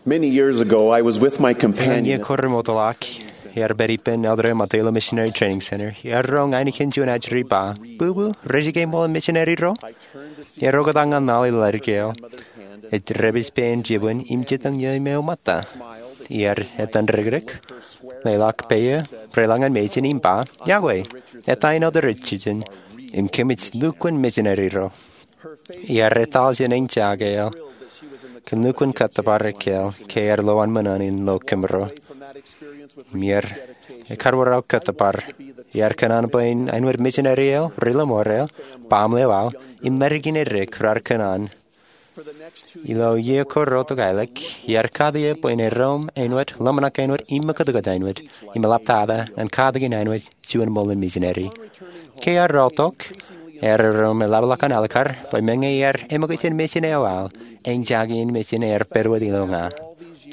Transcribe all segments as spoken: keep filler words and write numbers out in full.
Many years ago, I was with my companion. Iiō ko remootḷọk, iar pād ippān elder eo ilo Mateo Missionary Training Center. Iar roñ ainikien juon ajri ba, "Bubu, rej ke ṃool in misineri ro?" Iar oktak ñan laḷ ilo ḷaddik eo. Ej dāpij pein jibwin im jitōñ iiō im eo ṃōtta. Iar etan rikrik, leḷọk peiō, reḷọk ñan mejān im ba, "Iọkwe, eta in elder Richardson, im kōmij lukkuun misineri ro." Iar etal jān eñjake eo kōn lukkuun kōttōpar ekkāāl ke ear lo an ṃōṇōṇō in lo kōmro. Im iar ekar wōr aō kōttōpar. Iar kōṇaan bwe en āinwōt misineri eo ri lọmọọr eo, baaṃle eo aō, im ḷaddik in edik raar kōṇaan. Ilo iiō ko reotok aelōñ, iar kate eō bwe en erom āinwōt, ḷōmṇak āinwōt, im ṃakūtkūt āinwōt, im eḷaptata ñan katakin āinwōt juon ṃool in misineri. Ke ear reotok, ear erom eḷapḷọk an alikkar bwe meñe ear eṃōkaj jān mejān eo aō, eñjake in mejān ear pād wōt ilo ña.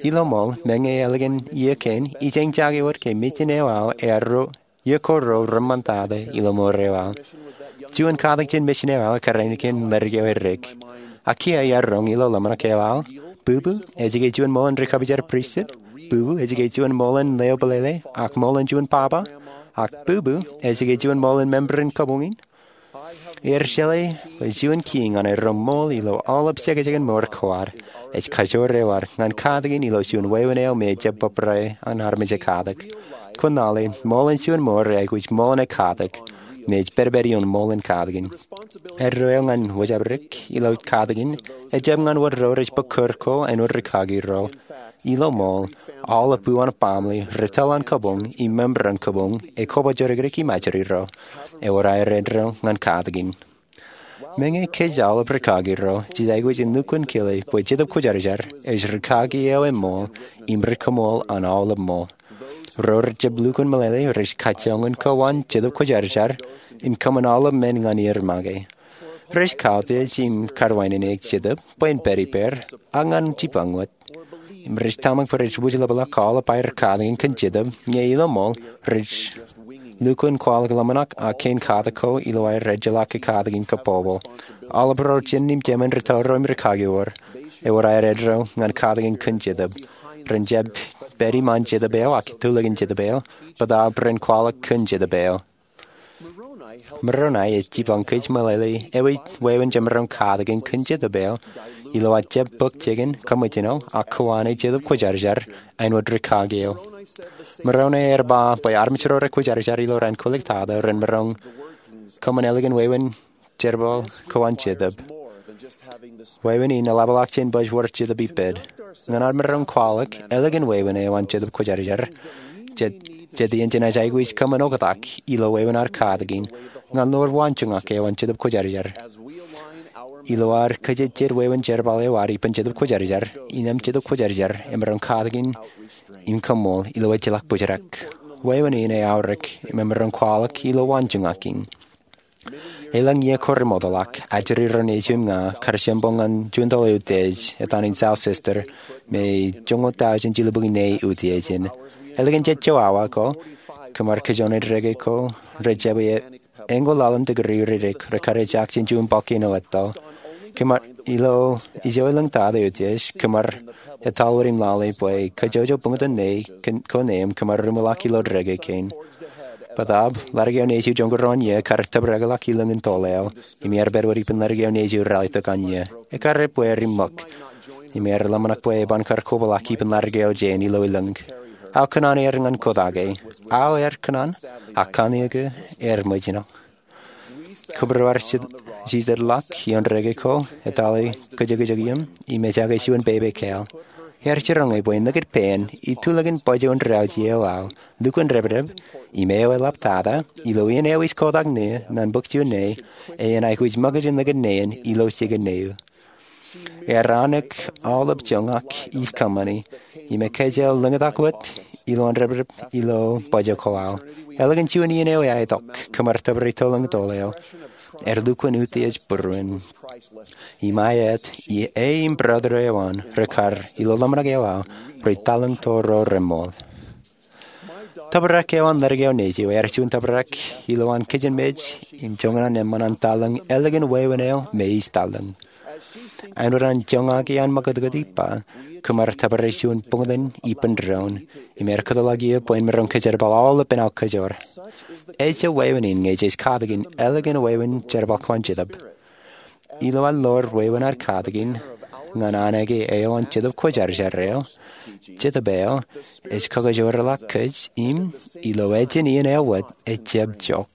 Ilo ṃool, meñe ālikin iiō kein, ij eñjake wōt ke mejān eo aō ear ro, iiō ko ro reṃṃantata ilo mour eo aō. Juon katak jān mejān eo aō ekar ainikien ḷaddik eo edik. Ak kiiō iar roñ ilo ḷōmṇak eo aō, "Bubu, ej ke juon ṃool in ri-kōpoojar pristut? Bubu, ej ke juon ṃool in leo bōlele, ak ṃool in juon baba? Ak bubu, ej ke juon ṃool in member in kabuñ in?" Iar jeḷā bwe juon kiiñ ñan erom ṃool ilo aolep jekjekin mour ko ad, ej kajoor eo ad ñan katakin ilo juon wāween eo me ejjab bōbrae an armej ekatak. Kwōn lale, ṃool in juon mour eaikuj ṃool in ekatak, im ej pedped ioon ṃool in katakin. Eddo eo ñan wōjabdik ilo katakin, ejjab ñan wōt ro rej bōk kūr ko āinwōt rikaki ro. Ilo ṃool, aolep buwaan baaṃle, ri tōl an kabuñ, im member an kabuñ, ekoba jodikdik im ajri ro. Ewōr aer eddo ñan katakin. Meñe kōj aolep rikaki ro jej aikuj in lukkuun kile bwe Jetōb Kwōjarjar ej rikaki eo eṃṃool im ri-kōṃṃool an aolep ṃool. Ro rejjab lukkuun meḷeḷe rej kajjoñan kōwaan Jetōb Kwōjarjar im kōṃṃan aolep men ñan er make. Rej kautiej im kawānene Jetōb bwe en pād ippāer ak ñan jipañ wōt. Im rej tōmak bwe rej wūjlepḷọk aolep aer katakin kōn Jetōb, ñe ilo ṃool rej lukkuun kwaḷọk ḷōmṇak ak kein katak ko ilo aer ejjeḷọk katakin kab popo. Aolep ro jen im jemān ri tōl ro im rikaki ro, ewōr aer eddo ñan katakin kōn Jetōb. Ren jab pād iṃaan Jetōb eo ak itulōk in Jetōb eo, bōtaab ren kwaḷọk kōn Jetōb eo. Moroni ej jipañ kōj meḷeḷe ewi wāween jemaroñ katakin kōn Jetōb eo ilo aō jab bōk jikin, kōṃōjṇọ, ak kōwāne Jetōb Kwōjarjar āinwōt rikaki eo. Moroni ear ba bwe armej ro rekwōjarjar ilo raan kwōliktata ren maroñ kōṃṃan ālikin wāween jerbal kōwaan Jetōb. Wāween in eḷapḷọk jān baj wōr Jetōb ippād. Ñan ad maroñ kwaḷọk ālikin wāween eo an Jetōb Kwōjarjar, jet, jet iien jenaaj aikuj kōṃṃan oktak ilo wāween ad katakin ñan lowaan waanjoñak eo an Jetōb Kwōjarjar. Ilo ad kōjejjet wāween jerbal eo ad ippān Jetōb Kwōjarjar, innem Jetōb Kwōjarjar emaroñ katakin im kōṃṃool ilo ejjeḷọk bōjrak. Wāween in eaorōk im emaroñ kwaḷọk ilo waanjoñak in. Elōñ iiō ko remootḷọk, ajri ro nejiṃ im ña kar jempoñ ñan juon toḷ eutiej etan in South Sister me joñoul tọujin jilubukwi ne eutiej in. Ālikin jejjo awa ko, kōmar kajjojo in reke ko rej jab eñoul laḷ in tikiri ridik rekar ejak jān juon bọlkein eo etto. Kōmar ilo ijo elōñ tata eutiej, kōmar etal wōt im lale bwe kajjojo buñtōn ne ko neeṃ kōmar ruṃwij ḷọk ilo reke kein. Bōtaab, ḷadik eo nejū joñoul ruo an iiō kar tōprak ḷọk ilōñ in toḷ eo, im iar pād wōt ippān ḷadik eo nejū ralitōk an iiō. Ekar ebbeer im ṃōk, im ear ḷōmṇak bwe eban kar koba ḷọk ippān ḷadik eo jān ilo ilōñ. Aō kōṇaan er ñan kōtake. Aō ear kōṇaan, ak kanniōk ear ṃōjṇọ. Kōmro ar jijetḷọk ioon reke ko, etale kōjekjek iiō, im ejake juon pepe kāāl. Ear jiroñ e bwe nikūtpein, itulōk in baj eo in rāwōj eo aō, lukkuun dāpdāp, im eo eḷaptata, ilo iien eo ij kotak ṇe, ñan bōk juon ṇe, enaaj aikuj ṃōkaj in nikūt ṇe in, ilo jikin ṇe eo. Ear anōk aolep joñak ij kōṃṃani, im ekāāl lōñtak wōt, ilo an dāpdāp, ilo baj eo ko aō. Ālikin juon iien eo eaetok, kōmar tōpar itōllōñ toḷ eo. Ear lukkuun utiej būruon. Im aet, e im brother eo an, rekar, ilo ḷōmṇak eo aō, ri taḷōñ toro reṃool. Tōprak eo an ḷadik eo nejū, ear juon tōprak, ilowaan kijenmej, im joñan an eṃṃan an taḷōñ, ālikin wāween eo, me ij taḷōñ. Āinwōt an joñak iaan ṃakūtkūt ippa, kōm ar tōpar ej juon buñtōn ippān doon im ear kōtḷọk eō bwe en maroñ kōjerbal aolepān aō kōjoor. Ejja wāween in ñe jej katakin ālikin wāween jerbal ko an Jetōb. Ilo ad ḷoor wāween ad katakin ñan anōke eo an Jetōb Kwōjarjar eo, Jetōb eo ej kakajoorḷọk kōj im, ilo ejin iien eo wōt, ejjab jook.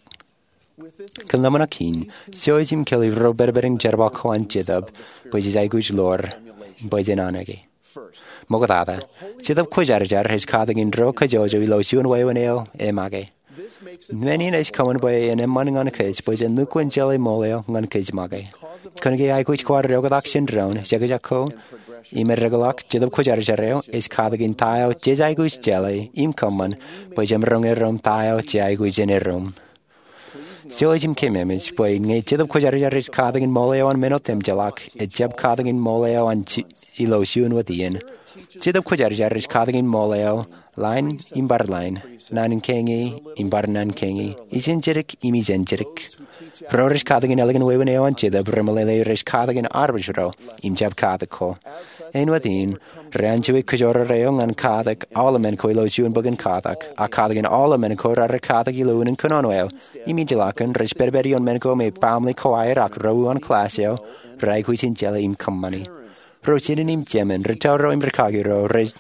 Kōn ḷōmṇak in, jouj im kile ro pedped in jerbal ko an Jetōb bwe jej aikuj ḷoor im bwe jen anōke. Ṃoktata, Jetōb Kwōjarjar ej katakin ro kajjojo ilo juon wāween eo e make. Men in ej kōṃṃan bwe en eṃṃan ñan kōj bwe jen lukkuun jeḷā ṃool eo ñan kōj make. Kōnke aikuj ko ad eoktak jān doon, jekjek ko, im eddekḷọk, Jetōb Kwōjarjar eo ej katakin ta eo jej aikuj jeḷā im kōṃṃan bwe jemaroñ erom ta eo jej aikuj in erom. Jouj im keememej bwe ñe Jetōb Kwōjarjar ej katakin ṃool eo an men otemjeḷọk, ejjab katakin ṃool eo an ilo juon wōt iien. Jetōb Kwōjarjar ej katakin ṃool eo ḷain im bar ḷain, naan kein im bar naan kein, ijenjedik im ijenjedik. Ro rej katakin ālikin wāween eo an Jetōb remeḷeḷe rej katakin armej ro im jab katak ko. Āinwōt in, reanjue kōjro eo ñan katak aolepen ko ilo juon bok in katak, ak katakin aolepen ko raar katak ilo unin kōnono eo, im ejjeḷọk kōn rej pedped ioon men ko me baaṃle ko aer ak ro uwaan klass eo reaikuj in jeḷā im kōṃṃani. Ro jenien im jemān, ri tōro im ri kaki ro, rej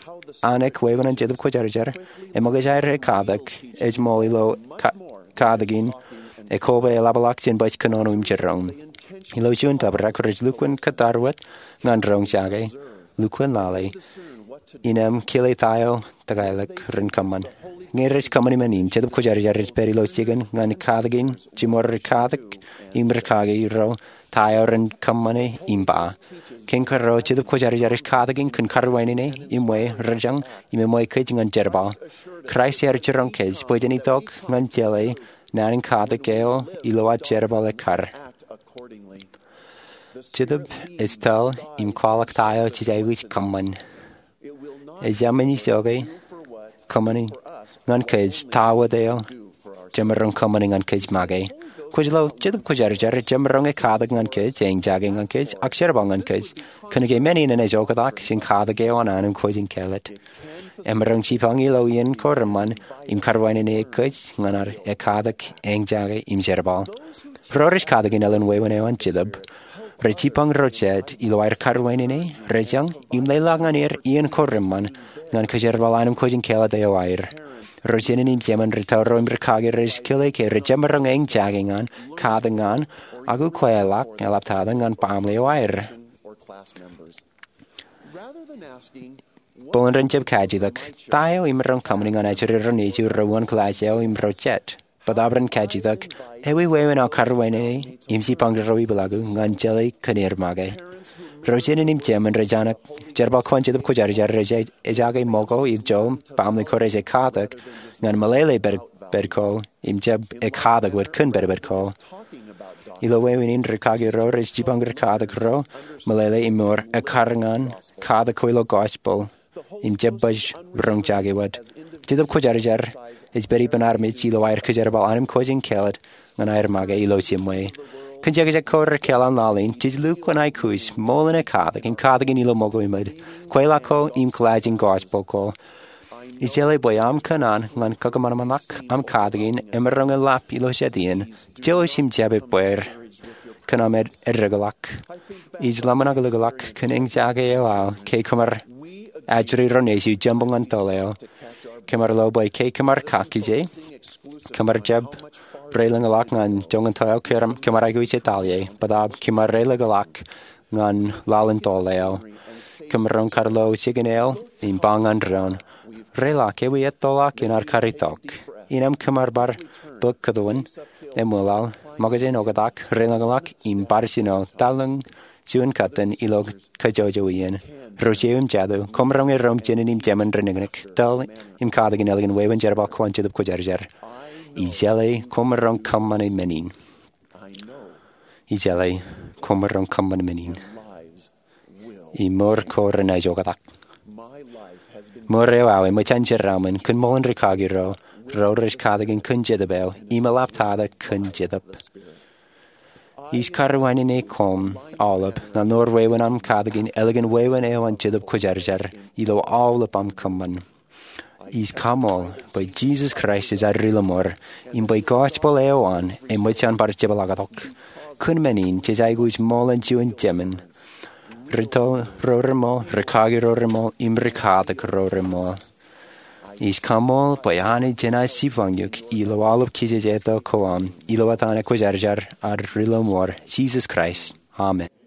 anōk wāween an Jetōb Kwōjarjar, eṃōkaj aer katak ej ṃool ilo katakin ekoba eḷapḷọk jān baj kōnono im jiroñ. Ilo juon tōprak rej lukkuun kōttar wōt ñan roñjake, lukkuun lale, innām kile ta eo tōkaḷọk ren kōṃṃan. Ñe rej kōṃṃani men in, Jetōb Kwōjarjar ej pād ilo jikin ñan katakin jiṃor ri katak im ri kaki ro ta eo ren kōṃṃane im ba. Kein kōrā, Jetōb Kwōjarjar ej katakin kōn karwaineneik im ṃweo rejañ im eṃṃan kōj ñan jerbal. Kraist ear jiroñ kōj bwe jen itok ñan jeḷā naan in katak eo ilo ad jerbal ekkar. Jetōb ej tōl im kwaḷọk ta eo jej aikuj kōṃṃan. Ejāmin ijoke kōṃṃani ñan kōj ta wōt eo jemaroñ kōṃṃani ñan kōj make. Kwōj lo, Jetōb Kwōjarjar ej jemaroñ katak ñan kōj, eñjake ñan kōj, ak jerbal ñan kōj. Kōnke men in enaaj oktak jān katak eo an anij kwōj in kāālōt. Emaroñ jipañ ilo iien ko reṃṃan im karwaineneik kōj ñan ad katak, eñjake im jerbal. Ro rej katakin ālikin wāween eo an Jetōb rej jipañ ro jet ilo aer karwainene, rejañ, im leḷọk ñan er iien ko reṃṃan ñan kajerbal anij kwōj in kāālōt eo aer. Ro jenien im jemān, ri tōro im ri kaki rej kile ke rej jemaroñ eñjake ñan, katak ñan, ak ukweḷọk eḷaptata ñan baaṃle eo aer. Bōlen ren jab kajitak, ta eo imaroñ kōṃṃani ñan ajri ro nejier ro uwaan klass eo im ro jet? Bōtaab ren kajitak, ewi wāween aō karwainene im jipañ ro ipeḷaaku ñan jeḷā kōn er make? Ro jenien im jemān rej anōk jerbal ko an Jetōb Kwōjarjar rej ejaake ṃōko ijo baaṃle ko rej katak ñan meḷeḷe pād ko im jab katak wōt kōn pedped ko. Ilo wāween in, ri kaki ro rej jipañ ri katak ro meḷeḷe im ṃōk ekkar ñan katak ko ilo gospel im jab baj roñjake wōt. Jetōb Kwōjarjar ej pād ippān armej ilo aer kajerbal anij kwōj in kāālōt ñan aer make ilo jiṃwe. Kōn jekjek ko rekōḷọk laḷ in, jej lukkuun aikuj ṃool in katak im katakin ilo ṃōko eṃōj, kweilọk ko im kōḷaaj in gospel ko. Ij jeḷā bwe aṃ kōṇaan ñan kakōṃanṃanḷọk aṃ katakin emaroñ in lap ilo jet iien, jouj im jab ebbeer kōn aṃ eddekḷọk. Ij ḷōmṇak likḷọk kōn eñjake eo aō ke kōmar ajri ro nejier jemboñ ñan toḷ eo. Kōmar lo bwe ke kōmar kakkije, kōmar jab reiḷọñḷọk ñan joñan toḷ eo kōmar aikuj etal ie, bōtaab kōmar reiḷọñḷọk ñan laḷ in toḷ eo. Kōmaroñ kar lo jikin eo im ba ñan doon, reiḷọk ewi ettoḷọk in ad kar itok. Innām kōmar bar bōk kōtwōn, eṃwilaḷ, ṃōkaj in oktak, reiḷọñḷọk im bar jino, taḷ in juon kōtwōn ilo kajjojo iien. Ro jeiū im jatū, koṃ roñ erom jenien im jemān reniknik, tōl im katakin ālikin wāween jerbal ko an Jetōb Kwōjarjar. Ij jeḷā koṃ roñ kōṃṃane men in. Ij jeḷā koṃ roñ kōṃṃane men in. Im mour ko renaaj oktak. Mour eo aō eṃōj an jeraaṃṃan kōn ṃōḷan ri kaki ro, ro rej katakin kōn Jetōb eo, im eḷaptata kōn Jetōb. Ij karuwainene koṃ aolep ṇe ṇa wōt wāween aṃ katakin ālikin wāween eo an Jetōb Kwōjarjar ilo aolep aṃ kōṃṃan. Ij kaṃool bwe Jisōs Kraist ej ad Ri-Lọmọọr im bwe gospel eo an eṃōj an bar jepḷaaktok. Kōn men in jej aikuj ṃool in juon jemān, ri-toḷ ro reṃool, ri-kaki ro reṃool, im ri-katak ro reṃool. Ij kaṃool bwe Anij enaaj jipañ eok ilo aolep kōj ej etto ko aṃ ilo etan ekwōjarjar ad Ri-Lọmọọr, Jisōs Kraist, amen.